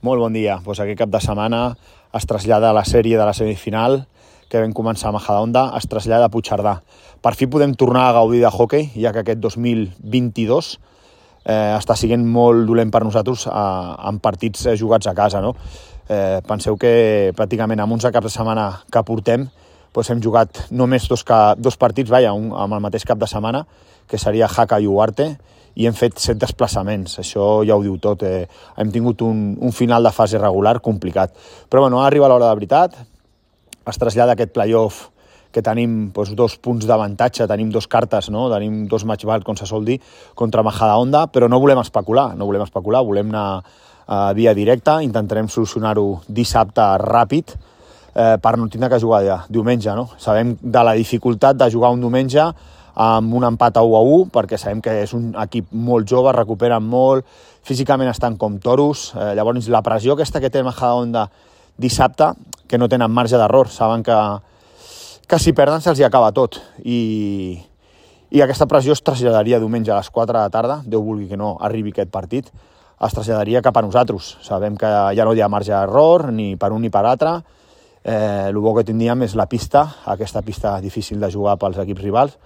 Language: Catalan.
Molt bon dia. Aquest cap de setmana es trasllada la sèrie de la semifinal que vam començar a Majadahonda, es trasllada a Puigcerdà. Per fi podem tornar a gaudir de hoquei, ja que aquest 2022 està sent molt dolent per nosaltres en partits jugats a casa. No? Penseu que pràcticament en 11 caps de setmana que portem hem jugat només dos partits amb el mateix cap de setmana, que seria Jaca i Ugarte, i hem fet 7 desplaçaments. Això ja ho diu tot. Hem tingut un final de fase regular complicat. Però arriba l'hora de veritat, es trasllada aquest playoff que tenim 2 punts d'avantatge, tenim 2 cartes, no? Tenim 2 match ball, com se sol dir, contra Majadahonda, però no volem especular, volem anar a via directa, intentarem solucionar-ho dissabte ràpid, per no tindre que jugar diumenge. No? Sabem de la dificultat de jugar un diumenge amb un empat a 1-1, perquè sabem que és un equip molt jove, recuperen molt, físicament estan com toros, llavors la pressió aquesta que té Majadahonda dissabte, que no tenen marge d'error, saben que si perden se'ls acaba tot, i aquesta pressió es traslladaria diumenge a les 4 de la tarda, Déu vulgui que no arribi aquest partit, es traslladaria cap a nosaltres. Sabem que ja no hi ha marge d'error, ni per un ni per altre. El bo que tindríem és la pista, aquesta pista difícil de jugar pels equips rivals,